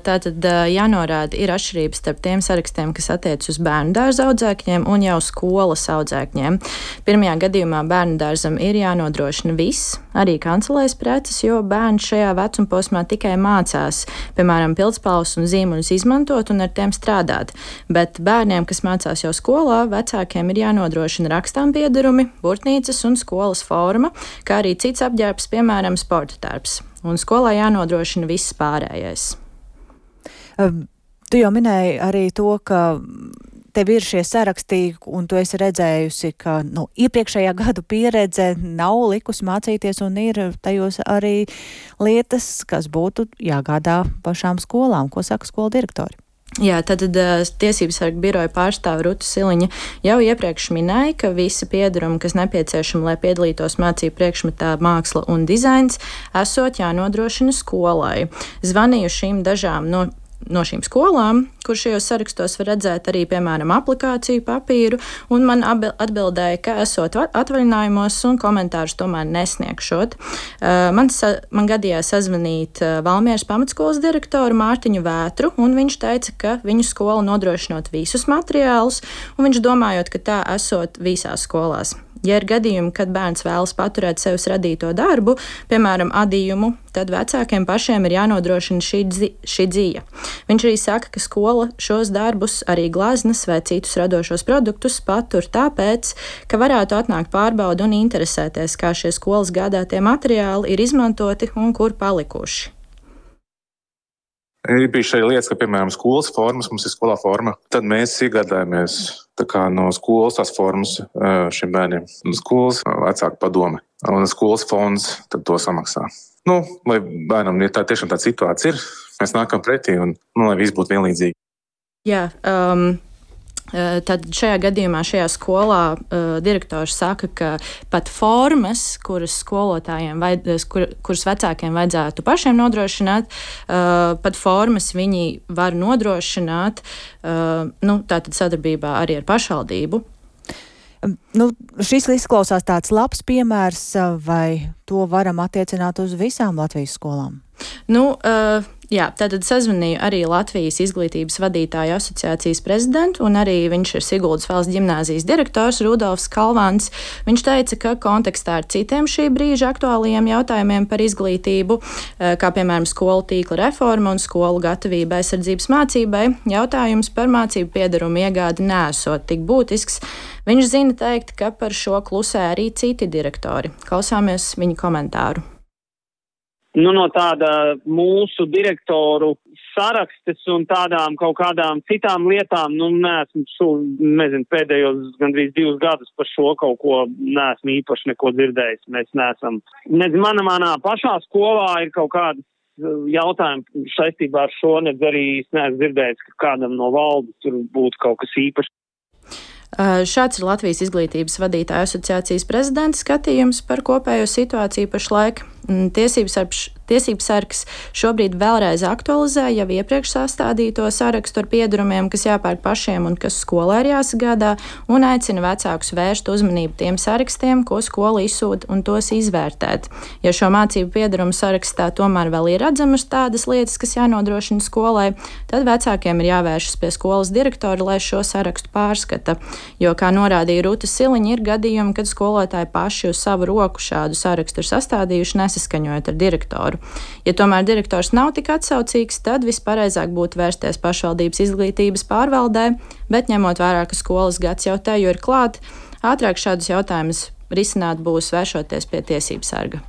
Tātad jānorāda, ir atšķirības starp tiem sarakstiem, kas attiec uz bērnu dārza audzēkņiem un jau skolas audzēkņiem. Pirmajā gadījumā bērnu dārzam ir jānodrošina viss, arī kancelēs preces, jo bērns šajā vecumposmā tikai mācās, piemēram, pildspalvas un zīmuļus izmantot un ar tiem strādāt. Bet bērniem, kas mācās jau skolā, vecākiem ir jānodrošina rakstām piederumi, burtnīcas un skolas forma, kā arī cits apģērbs, piemēram, sporta tērps. Un skolā jānodrošina viss pārējais. Tu jau minēji arī to, ka tev ir šie sarakstī, un tu esi redzējusi, ka iepriekšējā gadu pieredze nav likusi mācīties, un ir tajos arī lietas, kas būtu jāgādā pašām skolām. Ko saka skolu direktori? Jā, tad Tiesības sarga biroja pārstāve Ruta Siliņa jau iepriekš minēja, ka visi piederumi, kas nepieciešami, lai piedalītos mācību priekšmetā māksla un dizains, esot jānodrošina skolai. Zvanīju šīm dažām no šīm skolām, kur šajos sarakstos var redzēt arī, piemēram, aplikāciju papīru, un man atbildēja, ka esot atvaļinājumos un komentārus tomēr nesniegšot. Man gadījās sazvanīt Valmieras pamatskolas direktoru Mārtiņu Vētru, un viņš teica, ka viņu skola nodrošinot visus materiālus, un viņš domājot, ka tā esot visās skolās. Ja ir gadījumi, kad bērns vēlas paturēt sevis radīto darbu, piemēram, adījumu, tad vecākiem pašiem ir jānodrošina šī dzīve. Viņš arī saka, ka skola šos darbus, arī glaznas vai citus radošos produktus patur tāpēc, ka varētu atnākt pārbauda un interesēties, kā šie skolas gādātie materiāli ir izmantoti un kur palikuši. Ir bijuši arī lietas, ka, piemēram, skolas formas, mums ir skolā forma, tad mēs iegādājamies no skolas tās formas šiem bērniem. Skolas vecāku padome un skolas fonds tad to samaksā. Lai bērnam, ja tā tiešām tāda situācija ir, mēs nākam pretī un lai viss būtu vienlīdzīgi. Jā, tad šajā gadījumā šajā skolā direktors saka, ka pat formas, kuras skolotājiem, kuras vecākiem vajadzētu pašiem nodrošināt, pat formas viņi var nodrošināt, tātad sadarbībā arī ar pašvaldību. Šis izklausās tāds labs piemērs, vai to varam attiecināt uz visām Latvijas skolām? Jā, tātad sazvanīju arī Latvijas izglītības vadītāju asociācijas prezidentu, un arī viņš ir Siguldas valsts ģimnāzijas direktors Rudolfs Kalvāns. Viņš teica, ka kontekstā ar citiem šī brīža aktuālajiem jautājumiem par izglītību, kā piemēram skolu tīkla reforma un skolu gatavība aizsardzības mācībai, jautājums par mācību piederumu iegādi nesot tik būtisks. Viņš zina teikt, ka par šo klusē arī citi direktori. Klausāmies viņa komentāru. No tāda mūsu direktoru sarakstes un tādām kaut kādām citām lietām, neesmu pēdējos gandrīz 2 gadus par šo kaut ko neesmu īpaši neko dzirdējis. Mēs neesam. Manā pašā skolā ir kaut kādas jautājumi saistībā ar šo, arī neesmu dzirdējis, ka kādam no valdes tur būtu kaut kas īpašs. Šāds ir Latvijas izglītības vadītāju asociācijas prezidenta skatījums par kopējo situāciju pašlaik. Tiesības sargs šobrīd vēlreiz aktualizē jau iepriekš sastādīto sarakstu ar piederumiem, kas jāpērk pašiem un kas skolā ir jāsagādā, un aicina vecākus vērst uzmanību tiem sarakstiem, ko skola izsūta, un tos izvērtēt. Ja šo mācību piederumu sarakstā tomēr vēl ir redzamas tādas lietas, kas jānodrošina skolai, tad vecākiem ir jāvēršas pie skolas direktora, lai šo sarakstu pārskata. Jo, kā norādīja Ruta Siliņa, ir gadījumi, kad skolotāji paši uz savu roku šādu sarakstu ir sastādījuši, nesaskaņojot ar direktoru. Ja tomēr direktors nav tik atsaucīgs, tad vispareizāk būtu vērsties pašvaldības izglītības pārvaldē, bet ņemot vērā, ka skolas gads jau teju ir klāt, ātrāk šādus jautājumus risināt būs vēršoties pie tiesības sarga.